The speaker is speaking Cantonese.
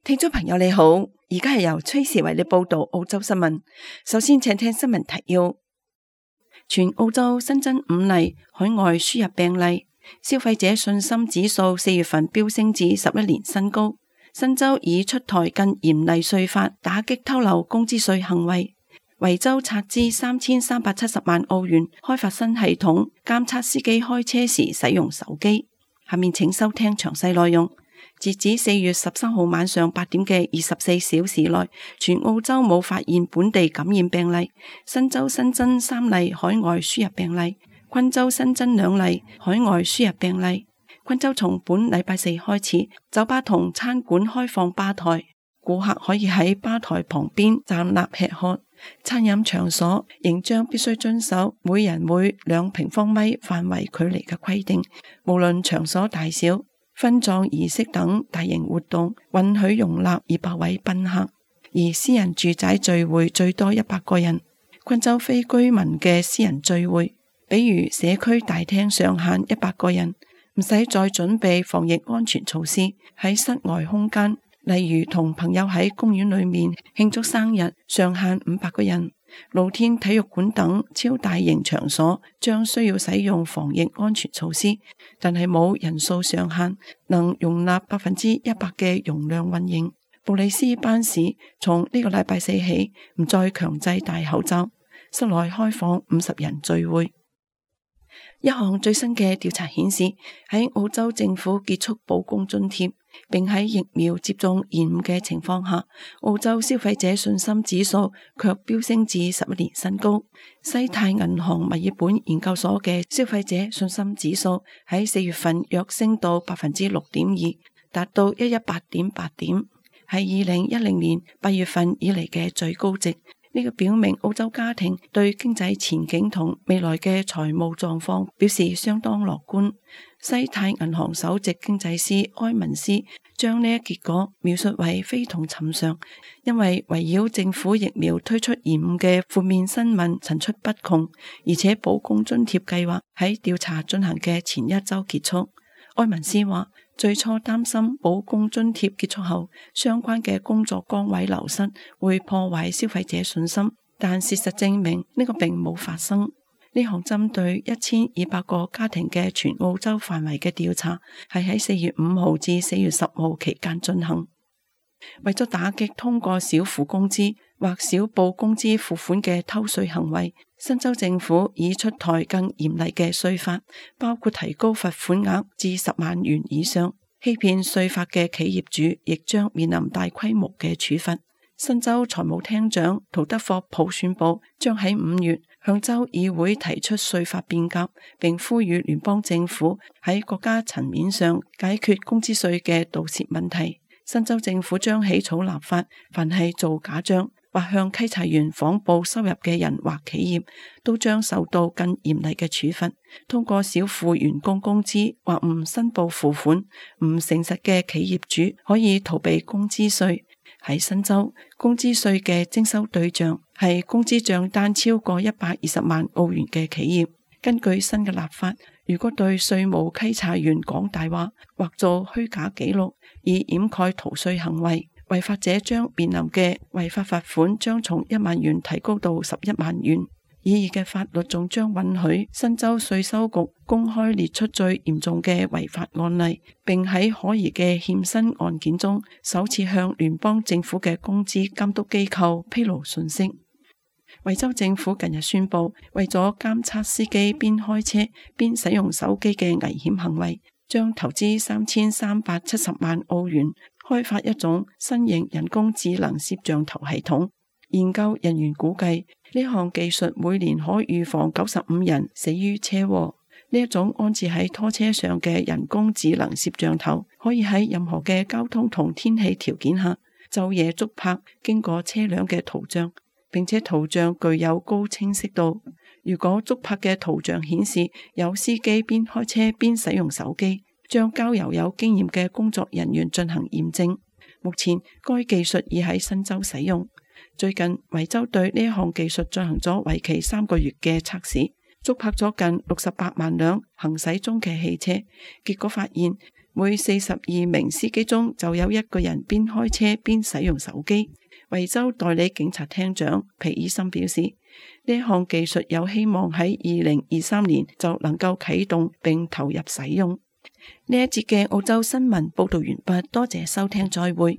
聽眾朋友你好，而家係由崔時為你報道澳洲新聞。首先請聽新聞提要：全澳洲新增5例海外輸入病例，消費者信心指數4月份飆升至11年新高。新州已出台更嚴厲稅法，打擊偷漏工資稅行為。維州斥資3370萬澳元開發新系統，監測司機開車時使用手機。下面請收聽詳細內容。截止4月13號晚上8點嘅24小時內，全澳洲冇發現本地感染病例。新州新增3例海外輸入病例，昆州新增2例海外輸入病例。昆州從本禮拜四開始，酒吧同餐館開放吧台，顧客可以喺吧台旁邊站立吃喝。餐飲場所仍將必須遵守每人每2平方米範圍距離嘅規定，無論場所大小。婚葬儀式等大型活動允許容納200位賓客，而私人住宅聚會最多100個人。昆州非居民嘅私人聚會，比如社區大廳上限100個人，唔使再準備防疫安全措施。喺室外空間，例如同朋友喺公園裏面慶祝生日，上限500個人。露天體育館等超大型場所將需要使用防疫安全措施，但係冇人數上限，能容納100%嘅容量運營。布里斯班市從呢個禮拜四起唔再強制戴口罩，室內開放50人聚會。一項最新嘅調查顯示，喺澳洲政府結束保供津貼，並喺疫苗接種延誤嘅情況下，澳洲消費者信心指數卻飆升至11年新高。西太銀行墨爾本研究所嘅消費者信心指數喺4月份躍升到 6.2%， 達到118.8點，係2010年8月份以嚟嘅最高值。呢個表明澳洲家庭對經濟前景同未來嘅財務狀況表示相當樂觀。西太銀行首席經濟師埃文斯將呢一結果描述為非同尋常，因為圍繞政府疫苗推出延誤嘅負面新聞層出不窮，而且保供津貼計劃喺調查進行嘅前一周結束。埃文斯話，最初擔心保供津貼結束後，相關嘅工作崗位流失會破壞消費者信心，但事實證明呢個並冇發生。呢項針對1200個家庭嘅全澳洲範圍嘅調查，係喺4月5號至4月10號期間進行。為咗打擊通過少付工資或少報工資付款嘅偷稅行為，新州政府已出台更嚴厲嘅稅法，包括提高罰款額至10萬元以上。欺騙稅法嘅企業主亦將面臨大規模嘅處罰。新州財務廳長陶德霍普宣布，將喺5月向州議會提出稅法變革，並呼籲聯邦政府喺國家層面上解決工資稅嘅盜竊問題。新州政府將起草立法，凡係做假賬或向稽查員謊報收入嘅人或企業，都將受到更嚴厲嘅處罰。通過少付員工工資或唔申報付款、唔誠實嘅企業主可以逃避工資稅。喺新州，工資稅嘅徵收對象係工資賬單超過120萬澳元嘅企業。根據新嘅立法，如果對稅務稽查員講大話或做虛假記錄以掩蓋逃稅行為，違法者將面臨嘅違法罰款將從1萬元提高到11萬元。擬議嘅法律仲將允許新州稅收局公開列出最嚴重嘅違法案例，並喺可疑嘅欠薪案件中首次向聯邦政府嘅工資監督機構披露信息。維州政府近日宣布，為咗監測司機邊開車邊使用手機嘅危險行為，將投資3370萬澳元開發一種新型人工智能攝像頭系統。研究人員估計，呢項技術每年可預防95人死於車禍。呢一種安置喺拖車上嘅人工智能攝像頭，可以喺任何嘅交通同天氣條件下晝夜捉拍經過車輛嘅圖像，並且圖像具有高清晰度。如果捉拍嘅圖像顯示有司機邊開車邊使用手機，將交由有經驗嘅工作人員進行驗證。目前該技術已喺新州使用。最近維州對呢項技術進行咗為期3個月嘅測試，捉拍咗近68萬輛行駛中嘅汽車，結果發現每42名司機中就有1個人邊開車邊使用手機。維州代理警察廳長皮爾森表示，呢項技術有希望喺2023年就能夠啟動並投入使用。呢一節嘅澳洲新聞報道完畢，多謝收聽，再會。